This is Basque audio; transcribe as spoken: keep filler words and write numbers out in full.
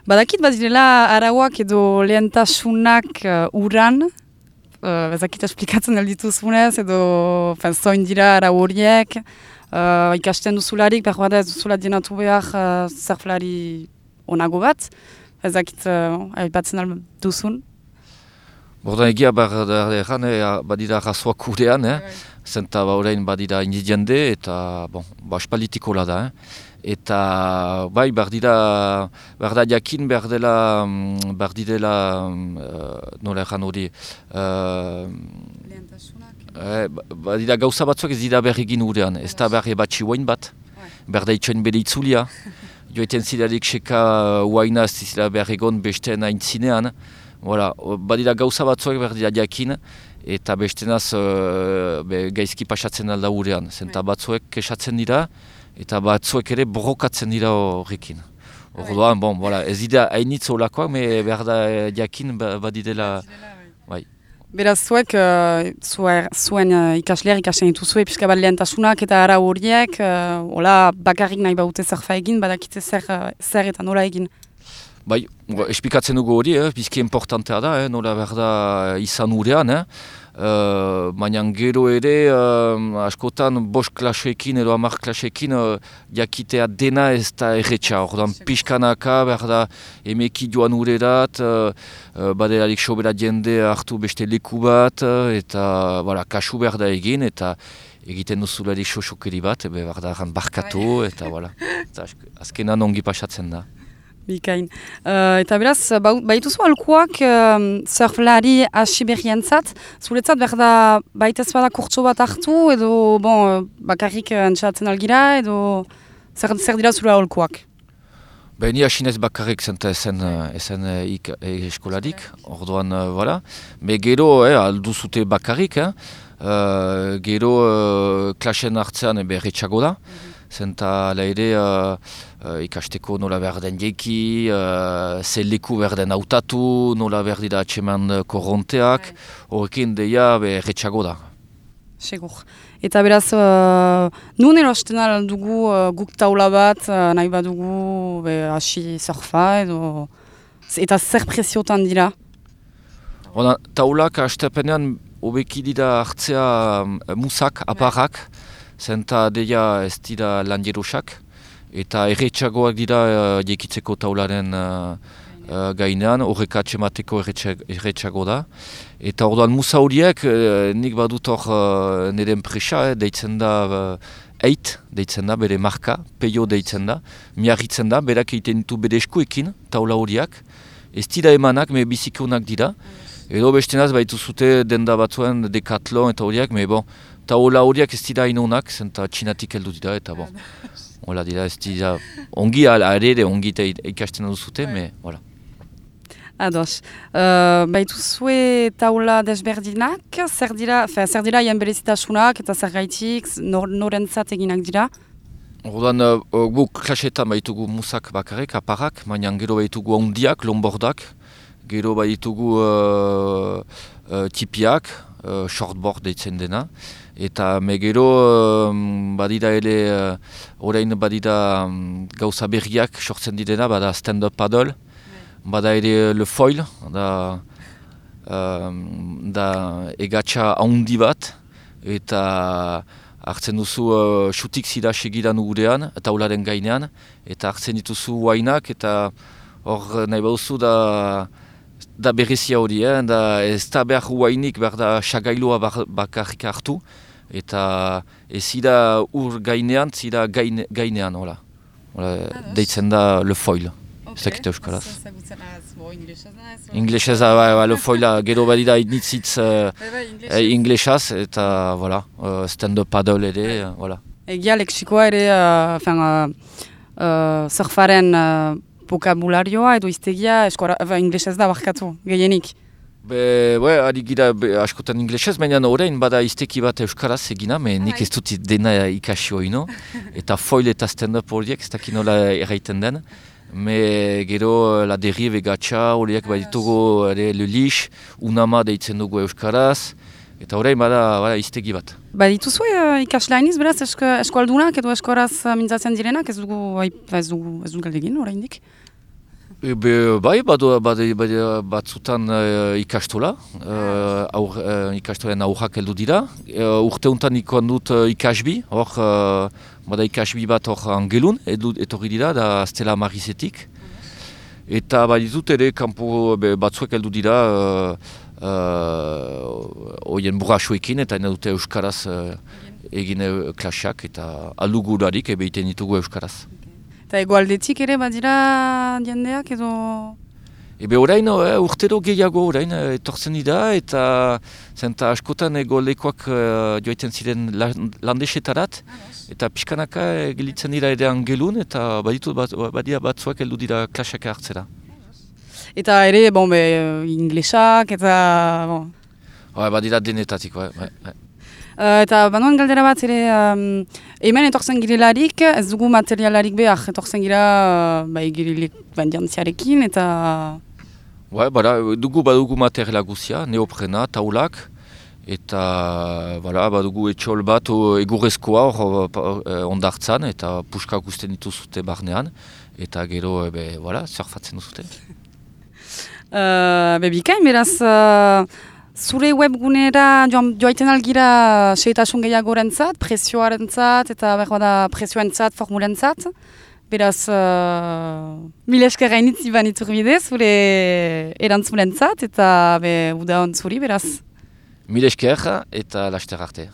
Badakit bat direla arauak edo lehentasunak uh, uran, uh, ezakit esplikatzen aldituzunez, edo zoin dira arau horiek, uh, ikasten duzularik, behar bada ez duzula dienatu behar uh, surflari onago bat, ezakit uh, aipatzen duzun. Bordan egia behar erran, badira razoak urean, eh? Zenta ba orain badira indiziende eta bon, ba espalitikola da. Eh? Eta bai, behar dira, behar da jakin, behar dela, behar didela, uh, nola erran hori, uh, eh, behar dira gauza batzuak ez dira behar egin urean, ez da behar ebatxi huain bat, behar da itxoen bere itzulia, joeten zidarik seka huaina ez zila behar egon besteen aintzinean, voilà, badira gauza batzuak behar dira jakin, eta bestenaz uh, be, gaizki pasatzen alda urean, zenta batzuek kesatzen dira, eta batzuek ere borrokatzen dira horrekin. Orduan, bon, voilà, ez dira hainitz holakoak, me behar da jakin badidela, bai. Beraz, zuek, uh, zuen uh, ikasleak ikasten dituzue, pixka bat lehentasunak eta ara horiek, uh, hola bakarrik nahi baute zerfa egin, badakite zer, uh, zer eta nola egin. Bai, espikatzen dugu hori, eh, bizki importantea da, eh, nola behar da izan urean, eh. Uh, baina gero ere, uh, askotan bost klaseekin edo hamar klaseekin uh, jakitea dena ez da erretxa. Ordan pixkanaka behar da emeki joan urerat, uh, uh, baderarik sobera jende hartu beste leku bat, uh, eta voilà, kasu behar da egin, eta egiten duzularik sosokeri bat, behar da barkatu, eta voilà. Azkenan ongi pasatzen da. Bikain. Uh, eta beraz, baituzu alkuak uh, surflari hasi berrientzat, zuretzat behar da baitez bada kurtso bat hartu, edo bon, bakarrik entxatzen algira, edo zer, zer dira zure alkuak? Ben, ni hasinez bakarrik zenta esen, esen ik, eskolarik, orduan, uh, voilà. Me gero, eh, alduzute bakarrik, eh. uh, gero uh, klasen hartzean berretxago da. Zenta ala ere uh, uh, ikasteko nola behar den jeki, uh, ze leku behar den hautatu, nola behar dira atseman korronteak, horrekin deia berretxago da. Segur. Eta beraz, uh, nun erosten dugu uh, guk taula bat, uh, nahi badugu hasi surfa edo, eta zer presiotan dira? Ona, taulak hastepenean hobeki dira hartzea um, musak, aparrak, zenta deia ez dira landierosak, eta erretxagoak dira uh, jekitzeko taularen uh, uh, gainean, horrek atxemateko erretxago da. Eta orduan musa horiek, uh, nik badut hor uh, nire enpresa, eh, deitzen da uh, eit, deitzen da, bere marka, peio deitzen da, miarritzen da, berak egiten ditu bere eskuekin, taula horiak, ez dira emanak, me bizikonak dira, edo bestenaz baitu zute denda batzuen Decathlon eta horiak, me bon, taula horiak ez dira inonak, zenta txinatik heldu dira, eta bon, hola dira, ez dira, ongi ere, ongi ikasten duzute, me, voilà. Ados. Uh, baitu zue taula desberdinak, zer dira, fe, zer dira jen berezitasunak eta zer gaitik, nor, norentzat eginak dira? Ordan, uh, guk klasetan baitugu musak bakarrik, aparrak, baina gero baitugu ondiak, longboardak, gero baitugu uh, uh, tipiak, uh, shortboard deitzen dena, eta me gero um, badira ere, uh, orain badira um, gauza berriak sortzen direna, bada stand-up paddle, bada ere le foil, da, um, da egatxa handi bat, eta hartzen duzu uh, xutik zira segidan urean, taularen gainean, eta hartzen dituzu wainak, eta hor nahi bauzu da, da berezia hori, eh? Da ez da behar wainik, behar da xagailua bakarrik hartu, eta ez zira ur gainean, zira gaine, gainean, hola. Hola, deitzen da le foil. Ez dakit euskaraz. Inglesez, bai, le foila, gero badira initzitz uh, inglesaz, eta, voilà, uh, stand-up paddle ere, voilà. Egia leksikoa ere, uh, fin, uh, uh, surfaren uh, vokabularioa edo iztegia, eskora, uh, inglesez da barkatu, gehienik. Be, be, ari gira be, askotan inglesez, baina orain bada izteki bat euskaraz egina, me nik ez dut dena ikasi hori, eta foil eta stand-up horiek, ez dakit nola erraiten den. Me gero la derive gatsa horiek baditugu ere lulix, unama deitzen dugu euskaraz, eta orain bada, bada iztegi bat. Badituzu uh, ikaslainiz beraz esko, eskualdunak edo eskoraz uh, mintzatzen direnak, ez dugu, ez dugu, ez dugu galdegin oraindik? Ebe, bai, badu, badu, badu, batzutan uh, ikastola, uh, aur, uh, ikastolen aurrak heldu dira. Uh, urte untan ikoan dut uh, ikasbi, hor, uh, bada ikasbi bat hor angelun, edu, etorri dira, da Stella Marizetik. Eta baditut ere, kanpo be, batzuek heldu dira, hoien uh, uh, burrasoekin, eta ena dute euskaraz uh, egin uh, klaseak, eta alugurarik ebe iten ditugu euskaraz. Eta egoaldetik ere badira jendeak edo... Ebe orain, eh, urtero gehiago orain eh, etortzen dira, eta zenta askotan egolekoak eh, joaiten ziren landesetarat, eta pixkanaka eh, gelitzen dira ere angelun, eta baditu bat, badia batzuak heldu dira klaseak hartzera. Eta ere, bon, be, inglesak, eta... Bon. Ba, badira denetatik, bai. bai, bai. Uh, eta banoan galdera bat ere, um, hemen etortzen girelarik, ez dugu materialarik behar, etortzen gira uh, bai girelik bandiantziarekin, eta... Bai, bada, dugu badugu materiala guzia, neoprena, taulak, eta bada, badugu etxol bat egurrezkoa hor ondartzan, eta puskak usten dituzute barnean, eta gero, ebe, voilà, surfatzen duzute. uh, Bebikain, beraz... Uh, Zure webgunera joaiten algira seitasun gehiagorentzat, prezioarentzat eta berbada prezioentzat, formulentzat. Beraz, uh, mil esker gainitzi banitur bide, zure erantzunentzat eta be, uda hon zuri, beraz. Mil esker eta laster arte.